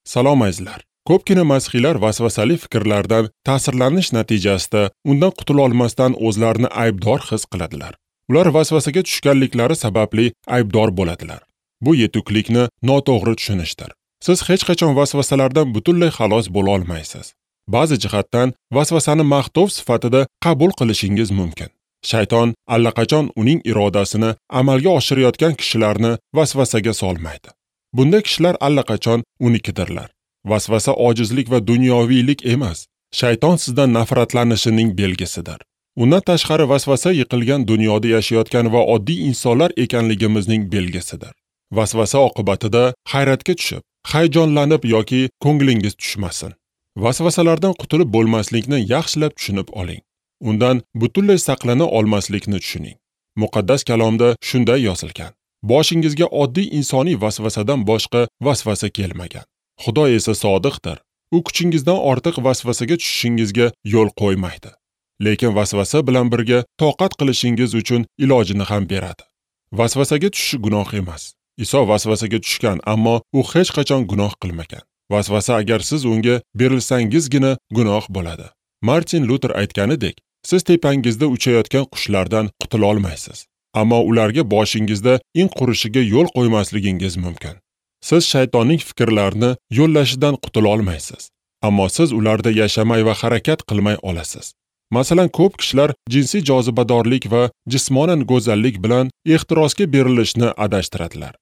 Salom azizlar. Ko'pgina masihiylar vasvasali fikrlardan ta'sirlanish natijasida undan qutula olmasdan o'zlarini aybdor his qiladilar. Ular vasvasaga tushganliklari sababli aybdor bo'ladilar. Bu yetuklikni noto'g'ri tushunishdir. Siz hech qachon vasvasalardan butunlay xalos bo'la olmaysiz. Ba'zi jihatdan vasvasani maqtov sifatida qabul qilishingiz mumkin. Shayton allaqachon uning irodasini amalga oshirayotgan kishilarni vasvasaga solmaydi. Bunda kishilar allaqachon unikidirlar. Vasvasa ojizlik va dunyoviylik emas, shayton sizdan nafratlanishining belgisidir. Undan tashqari vasvasa yiqilgan dunyoda yashayotgan va oddiy insonlar ekanligimizning belgisidir. Vasvasa oqibatida hayratga tushib, hayajonlanib yoki ko'nglingiz tushmasin. Vasvasalardan qutulib bo'lmaslikni yaxshilab tushunib oling. Undan butunlay saqlana olmaslikni tushuning. Muqaddas kalomda shunday yozilgan: boshingizga oddiy insoniy vasvasadan boshqa vasvasa kelmagan. Xudo esa sodiqdir. U kuchingizdan ortiq vasvasaga tushishingizga yo'l qo'ymaydi. Lekin vasvasa bilan birga toqat qilishingiz uchun ilojini ham beradi. Vasvasaga tushish gunoh emas. Iso vasvasaga tushgan, ammo u hech qachon gunoh qilmagan. Vasvasa agar siz unga berilsangizgina gunoh bo'ladi. Martin Luther aytganidek, siz tepangizda uchayotgan qushlardan qutula olmaysiz, ammo ularga boshingizda in qurishiga yo'l qo'ymasligingiz mumkin. Siz shaytonning fikrlarini yo'llashidan qutula olmaysiz, ammo siz ularda yashamay va harakat qilmay olasiz. Masalan, ko'p kishilar jinsiy jozibadorlik va jismonan go'zallik bilan ehtirosga berilishni adashtiradilar.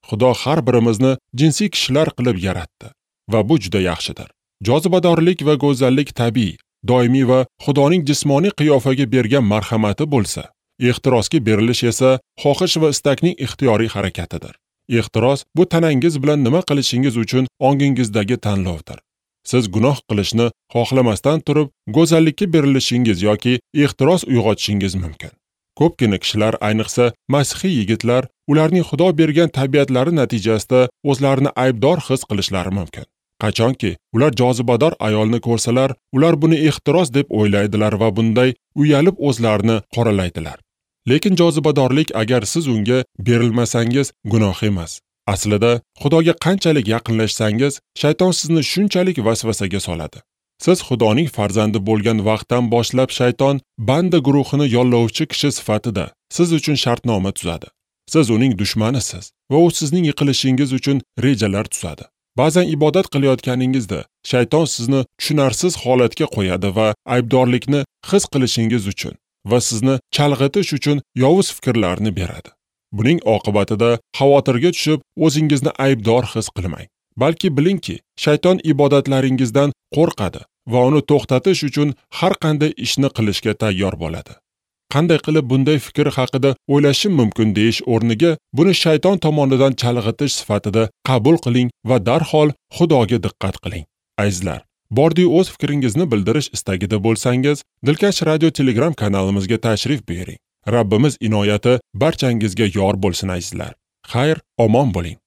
Xudo har birimizni jinsiy kishilar qilib yaratdi va bu juda yaxshidir. Jozibadorlik va go'zallik tabiiy, doimiy va Xudoning jismoniy qiyofaga bergan marhamati bo'lsa, ehtirosga berilish esa xohish va istakning ixtiyoriy harakatidir. Ehtiros bu tanangiz bilan nima qilishingiz uchun ongingizdagi tanlovdir. Siz gunoh qilishni xohlamasdan turib, go'zallikka berilishingiz yoki ehtiros uyg'otishingiz mumkin. Ko'pgina kishilar, ayniqsa masihiy yigitlar, ularning Xudo bergan tabiatlari natijasida o'zlarini aybdor his qilishlari mumkin. Qachonki ular jozibador ayolni ko'rsalar, ular buni ehtiros deb o'ylaydilar va bunday uyalib o'zlarini qoralaydilar. Lekin jozibadorlik agar siz unga berilmasangiz gunoh emas. Aslida Xudoga qanchalik yaqinlashsangiz, shayton sizni shunchalik vasvasaga soladi. Siz Xudoning farzandi bo'lgan vaqtdan boshlab shayton banda guruhini yollovchi kishi sifatida siz uchun shartnoma tuzadi. Siz uning dushmanisiz va u sizning yiqilishingiz uchun rejalar tuzadi. Ba'zan ibodat qilayotganingizda shayton sizni tushunarsiz holatga qo'yadi va aybdorlikni his qilishingiz uchun va sizni chalg'itish uchun yovuz fikrlarni beradi. Buning oqibatida xavotirga tushib, o'zingizni aybdor his qilmang. Balki bilingki, shayton ibodatlaringizdan qo'rqadi va uni to'xtatish uchun har qanday ishni qilishga tayyor bo'ladi. Qanday qilib bunday fikr haqida o'ylashim mumkin deyish o'rniga buni shayton tomonidan chalg'itish sifatida qabul qiling va darhol Xudoga diqqat qiling. Azizlar, bordiyu o'z fikringizni bildirish istagida bo'lsangiz, Dilkash Radio Telegram kanalimizga tashrif buyuring. Rabbimiz inoyati barchangizga yor bo'lsin azizlar. Xayr, omon bo'ling.